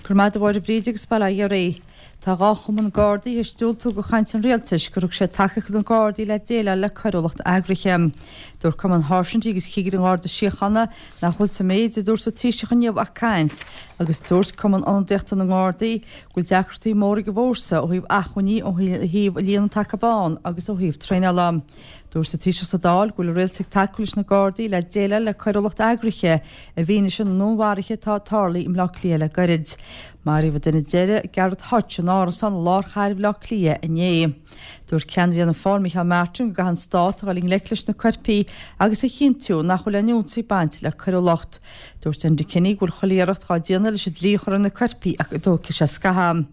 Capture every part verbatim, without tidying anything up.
Go raibh maith agat a Mháire Bríd agus bail ó Dhia oraibh. Tá dhá chumann Gardaí théis diúltú do chaint an rialtais gur thug sé tacaíocht do na Gardaí le déileáil le coiriúlacht eagraithe. Dúirt Cumann Sháirsintí agus Chigirí an Gharda Síochána nach bhfuil sa méid a dúirt an Taoiseach inniu ach caint, agus dúirt Cumann Ionadaíochta na nGardaí go bhfuil deacrachtaí móra ag an bhfórsa ó thaobh acmhainní, ó thaobh líon na dtaca bán agus ó thaobh traenála. Dúirt an Taoiseach sa Dáil go bhfuil an rialtas ag tacú leis na Gardaí le déileáil le coiriúlacht eagraithe i bhfianaise na ndúnmharuithe atá tarlaithe i mBleá Cliath le gairid. Maraíodh an duine deiridh, Gareth Hutch, in árasán i lár chathair Bhaile Átha Cliath inné. Dúirt ceannaire Fhianna Fáil Micheál Martin go gcaithfidh an stát a dhul i ngleic leis na coirpigh agus a chinntiú nach bhfuil aon fhiúntas ag baint le coiriúlacht. Dúirt Enda Kenny go bhfuil chuile iarracht dhá déanamh leis an dlí a chur ar na coirpigh ach go dtógfaidh sé scaitheamh.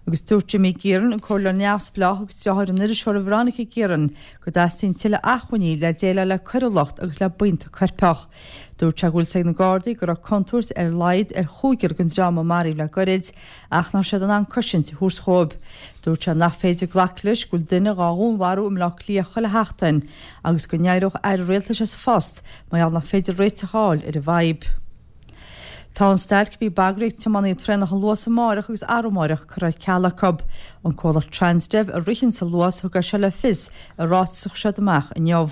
Agus dúirt Jimmy Guerin, an comhairleoir neamhspleách agus deartháir an iriseora Veronica Guerin, go dteastaíonn tuilleadh acmhainní le déileáil le coiriúlacht agus le buíonta coirpeach. Dúirt sé go bhfuil a fhios ag na Gardaí go raibh contúirt ar a laghad ar chúigear den dream a maraíodh le gairid, ach nach raibh siad in ann cosaint a thabhairt dhóibh. Dúirt sé nach féidir glacadh leis go bhfuil duine dhá dhúnmharú i mBleá Cliath chuile sheachtain agus go n-éireodh aire rialtais as a phost mar gheall nach féidir réiteach a fháil ar an bhfadhb. Tá an stailc a bhí bagraithe ag tiománaithe traenach an Luas amárach agus arú amárach curtha ar ceal acu. An comhlacht Transdev a ritheann an Luas thug é seo le fios i ráiteas a chuir siad amach inniu.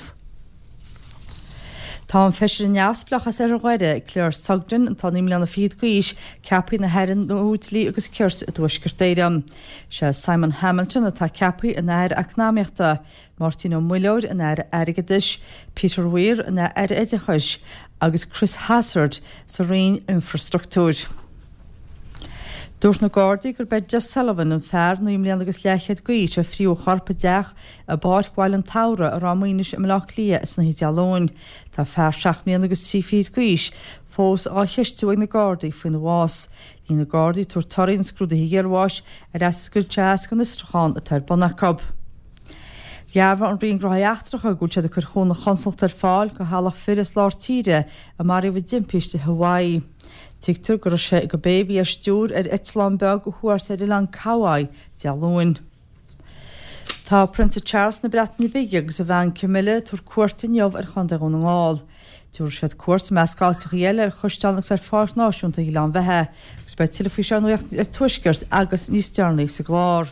Tá an feisire neamhspleách as Oirthear Dhoire, Claire Sugden, atá naoi mbliana fichead d'aois, ceaptha ina haire nua dlí agus cirt i dTuaisceart Éireann. Sé Simon Hamilton atá ceaptha ina aire eacnamaíochta, Máirtín Ó Muilleoir ina aire airgeadais, Peter Weir ina aire oideachais agus Chris Hazzard sa Roinn Infrastruchtúir. Dúirt na Gardaí gurb é Des Sullivan an fear naoi mbliana agus leathchéad d'aois a fríodh a chorp i dteach i bPáirc Bhaile an tSamhraidh i Ráth Maoinis i mBleá Cliath san oíche Dé Luain. Tá fear seacht mbliana agus trí fichid d'aois fós á cheistiú ag na Gardaí faoina bhás. Níl na Gardaí ag tabhairt torthaí an scrúdaithe iarbháis ar eascairt as an fhiosrúchán atá ar bun acu. Dhearbhaigh an Roinn Gnóthaí Eachtracha go bhfuil siad ag cur chúnamh chonsalachta ar fáil do theaghlach fir as lár tíre a maraíodh i dtimpiste i Hawaii. Tuigtear go raibh sé i gcibé a bhí ar stiúir ar eitleán beag a chuas ar oileán Kauai Dé Luain. Tá Prionsa Charles na Breataine Bige agus a bhean Camilla ag tabhairt cuairt inniu ar Chontae Dhún na nGall. Tabharfaidh siad cuairt i measc áiteacha eile ar Chaisleán agus ar Pháirc Náisiúnta Ghleann Bheatha, agus beidh tuilleadh faoi seo ar Nuacht an Tuaiscirt agus níos deireanaí sa gclár.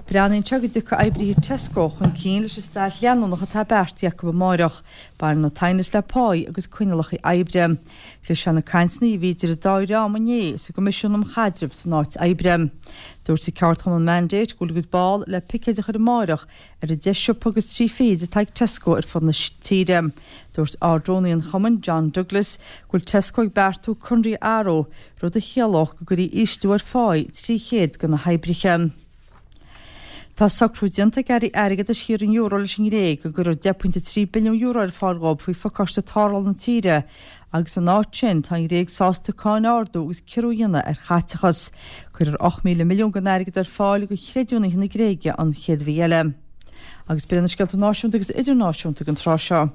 Breathnaíonn sé go dtiocfaidh oibrithe Tesco chun cinn leis an stailc leanúnach atá beartaithe acu amárach. Baineann an t-aighneas le páí agus coinníollacha oibre. Chlis sé na cainteanna a bhí idir an dá dhream inné sa gCoimisiún um Chaidreamh san áit oibre. Dúirt an ceardchumann Mandate go bhfuil a gcuid ball le picéid a chur amárach ar an deich siopa agus trí fichid atá ag Tesco ar fud na tíre. Dúirt Ard-Rúnaí an chumainn, John Douglas, go bhfuil Tesco ag beartú conarthaí a athrú, rud a chiallódh go gcuirfí ísliú ar pháí trí chéad de na hoibrithe. Tá socrú déanta ag airí airgeadais thíortha an euro leis an nGréig go gcuirfear deich pointe trí billiún euro ar fáil dhóibh faoi phacáiste tarrthála na tíre agus in áit sin tá an Ghréig sásta cáin a ardú agus ciorrú a dhéanamh ar chaiteachas. Cuirfear ocht míle milliún den airgead ar fáil do chreidiúnaithe na Gréige an chéad mhí eile. Agus b'in na scéalta náisiúnta agus idirnáisiúnta den tráth seo.